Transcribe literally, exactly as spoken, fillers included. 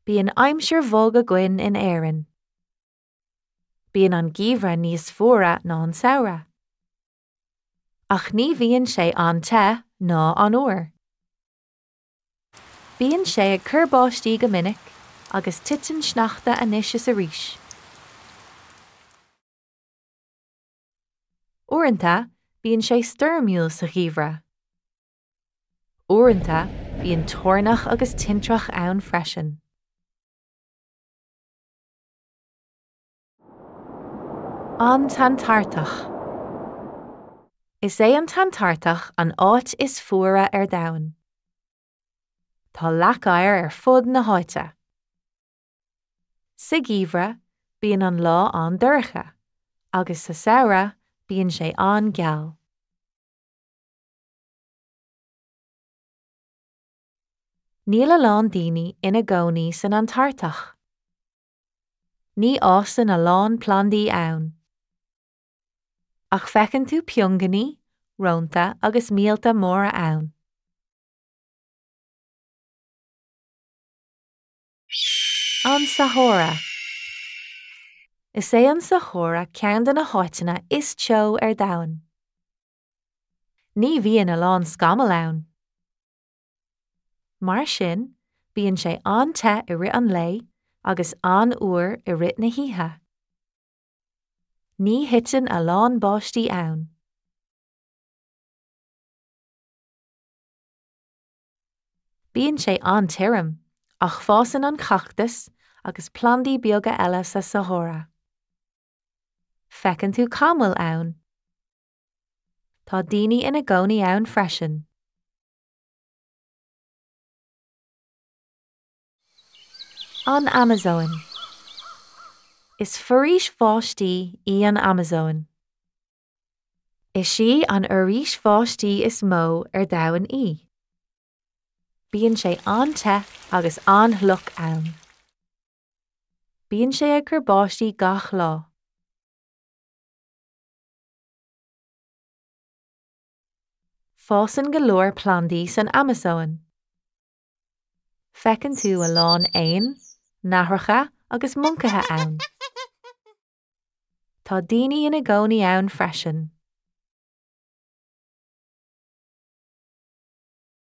Bíonn aimsir bhog againn in Éirinn. Bíonn an geimhreadh níos fuaire ná an samhradh. Ach ní bhíonn sé an-te ná an-fhuar. Bíonn sé ag cur báistí go minic agus titeann sneachta anois is arís. Uaireanta bíonn sé stoirmiúil sa gheimhreadh. Uaireanta bíonn toirneach agus tintreach ann freisin. An tAntartach Is é an tAntartach an áit is fuaire ar domhan. Tá leac oighir ar fud na háite. Sa gheimhreadh, bíonn an lá an-dorcha, agus sa samhradh bíonn sé an-gheal. Níl a lán daoine ina gcónaí san Antartach. Ní fhásann a lán plandaí ann. Ach feiceann tú piongainí, rónta agus míolta móra ann. An Sahára Is é an Sahára ceann de na háiteanna is teo ar domhan. Ní bhíonn a lán scamall ann. Mar sin, bíonn sé an-te i rith an lae agus an-fhuar i rith na hoíche. Ní thiteann a lán báistí ann. Bíonn sé an-tirim, ach fásann an cachtas agus plandaí beaga eile sa Sahára. Feiceann tú camaill ann. Tá daoine ina gcónaí ann freisin. An Amazóin Is foraois bháistí í an Amazóin. Is í an fhoraois bháistí is mó ar domhan í. Bíonn sé an-te agus an-fhliuch ann. Bíonn sé ag cur báistí gach lá. Fásann go leor plandaí san Amazóin. Feiceann tú a lán éan, nathracha agus moncaithe ann. Tá daoine ina gcónaí ann freisin.